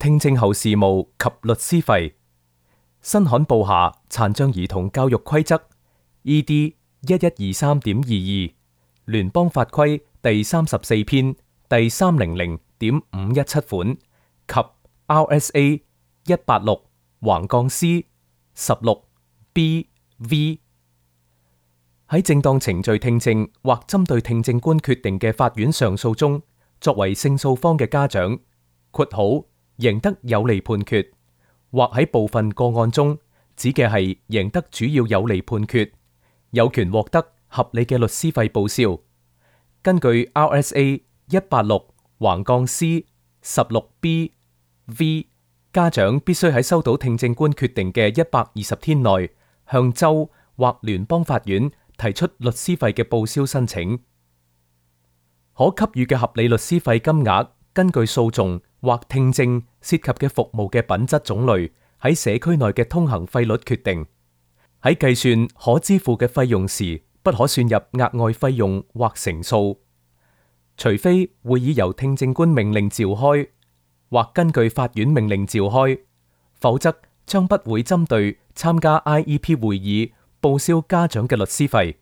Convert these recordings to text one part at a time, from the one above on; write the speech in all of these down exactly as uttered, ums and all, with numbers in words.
聽證後事務及律師費。新刊報下殘障兒童教育規則 E D 一一二三點二二，聯邦法規第三十四篇第三零零點五一七款及 R S A 一八六橫槓 C 十六 B V。喺正當程序聽證或針對聽證官決定嘅法院上訴中，作為勝訴方嘅家長（括號贏得有利判決）或喺部分個案中指嘅係贏得主要有利判決，有權獲得合理嘅律師費報銷。根據 R S A 一八六橫槓 C 十六 B V， 家長必須喺收到聽證官決定嘅一百二十天內，向州或聯邦法院提出律師費嘅報銷申請。可給予嘅合理律師費金額，根據訴訟或聽證涉及嘅服務嘅品質種類，喺社區內嘅通行費率決定。喺計算可支付嘅費用時，不可算入額外費用或乘數，除非會議由聽證官命令召開，或根據法院命令召開，否則將不會針對參加 I E P 會議報銷家長嘅律師費。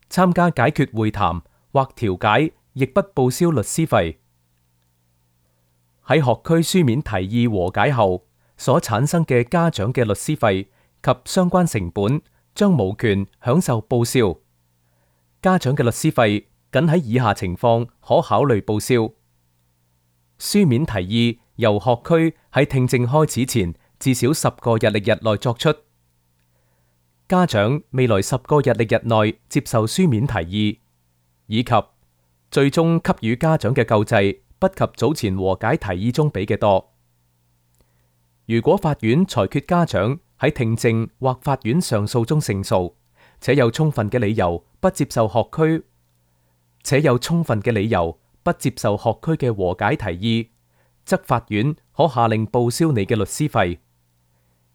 參加解決會談或調解亦不報銷律師費。喺學區書面提議和解後所產生嘅家長嘅律師費及相關成本，將無權享受報銷。家長嘅律師費僅喺以下情況可考慮報銷：書面提議由學區喺聽證開始前至少十個日曆日內作出；家長未來十個日曆日內接受書面提議，以及最終給予家長嘅救濟不及早前和解提議中俾嘅多。如果法院裁決家長喺聽證或法院上訴中勝訴，且有充分嘅理由不接受學區，且有充分嘅理由不接受學區嘅和解提議，則法院可下令報銷你嘅律師費。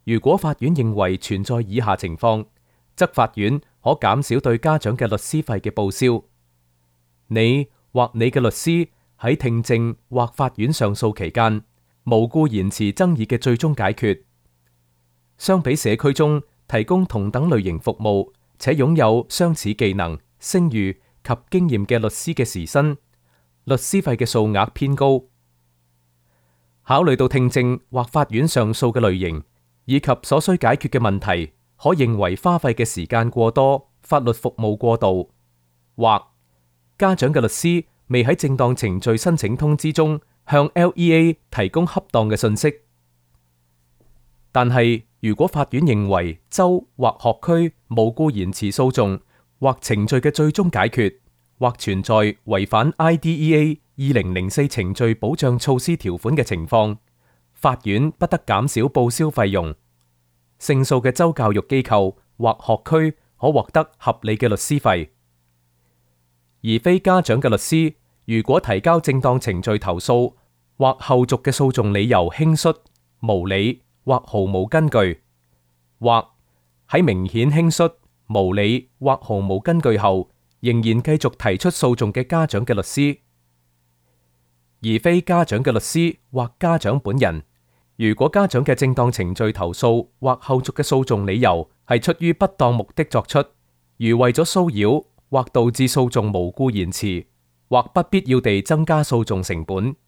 如果法院認為存在以下情況，則法院可減少對家長嘅律師費嘅報銷。你或你嘅律師喺聽證或法院上訴期間，無故延遲爭議嘅最終解決。相比社區中提供同等類型服務且擁有相似技能、聲譽及經驗嘅律師嘅時薪，律師費嘅數額偏高。考慮到聽證或法院上訴嘅類型以及所需解決嘅問題，可認為花費嘅時間過多、法律服務過度，或家長嘅律師未喺正當程序申請通知中向 L E A 提供恰當嘅信息。但係，如果法院認為州或學區無故延遲訴訟或程序嘅最終解決，或存在違反 I D E A 二零零四程序保障措施條款嘅情況，法院不得減少報銷費用。勝訴嘅州教育機構或學區可獲得合理嘅律師費。而非家長嘅律師，如果提交正當程序投訴或後續嘅訴訟理由輕率、無理或毫無根據，或喺明顯輕率、無理或毫無根據後，仍然繼續提出訴訟嘅家長嘅律師，而非家長嘅律師或家長本人，如果家長嘅正當程序投訴或後續嘅訴訟理由係出於不當目的作出，如為咗騷擾或導致訴訟無故延遲，或不必要地增加訴訟成本，